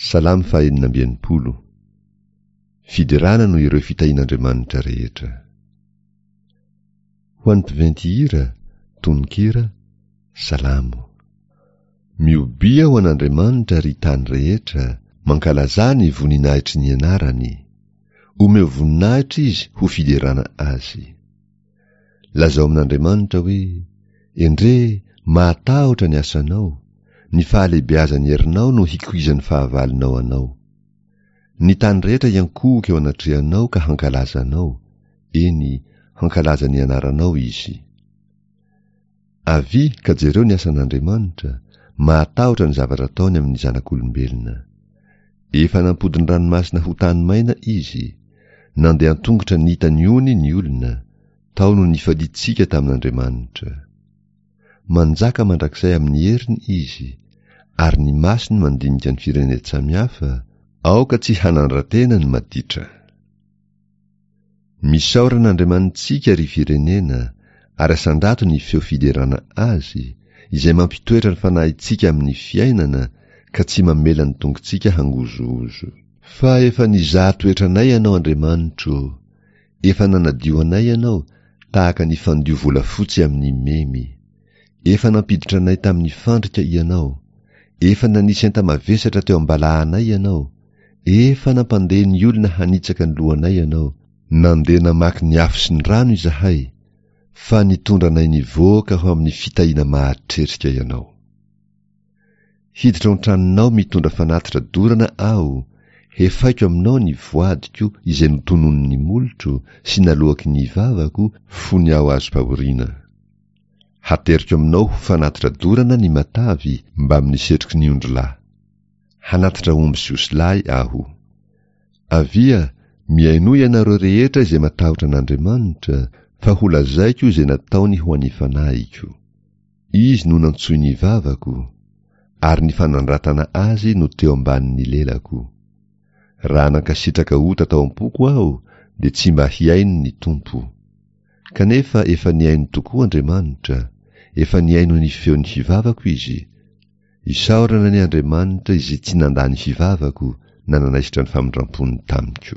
Salamo faha-66. Fiderana noho ireo fitahian'Andriamanitra rehetra. Ho an'ny mpiventy hira, tononkira, Salamo. Miobia ho an'Andriamanitra ry tany rehetra, mankalazà ny voninahitry ny anarany. Omeo voninahitra izy ho fiderana azy. Lazao amin'Andriamanitra hoe, Endrey, mahatahotra ny asanao, ny fahalehibeazan'ny herinao no hikoizan'ny fahavalonao anao. Ny tany rehetra hiankohoka eo anatrehanao ka hankalaza anao, eny, hankalaza ny anaranao izy. Avia ka jereo ny asan'Andriamanitra, mahatahotra ny zavatra ataony amin'ny zanak'olombelona. Efa nampody ny ranomasina ho tany maina izy, nandeha an-tongotra nita ny ony ny olona, tao no nifaliantsika tamin'Andriamanitra. Manjaka mandrakizay amin'ny heriny izy, ary ny masony mandinika ny firenen-tsamihafa, aoka tsy hanandra-tena ny maditra. Misaora an'Andriamanitsika, ry firenena, ary asandrato ny feo fiderana Azy, izay mampitoetra ny fanahintsika amin'ny fiainana ka tsy mamela ny tongotsika hangozohozo. Fa efa nizaha toetra anay Ianao, Andriamanitro ô, efa nanadio anay Ianao, tahaka ny fandio volafotsy amin'ny memy. Efa nampiditra anay tamin'ny fandrika Ianao, efa nanisy enta-mavesatra teo am-balahanay Ianao, Efa nampandeha ny olona hanitsaka ny lohanay ianao, nandeha namaky ny afo sy ny rano izahay, fa nitondra anay nivoaka ho amin'ny fitahiana mahatretrika ianao. Hiditra ao an-tranonao mitondra fanatitra dorana aho, hefaiko aminao ny voadiko izay notononin'ny molotro sy naloaky ny vavako fony aho azom-pahoriana. Hateriko aminao ho fanatitra dorana ny matavy mbamin'ny setroky ny ondrilahy. Hanatitra omby sy osilahy aho. Avia, mihainoa ianareo rehetra izay matahotra an'Andriamanitra, fa holazaiko izay nataony ho an'ny fanahiko. Izy no nantsoin'ny vavako, ary ny fanandratana azy no teo ambanin'ny lelako. Raha nankasitraka ota tao am-poko aho, dia tsy mba hihaino ny Tompo. Kanefa efa nihaino tokoa Andriamanitra, efa nihaino ny feon'ny fivavako Izy. Isaorana anie Andriamanitra izay tsy nandà ny fivavako na nanaisotra ny famindram-pony tamiko.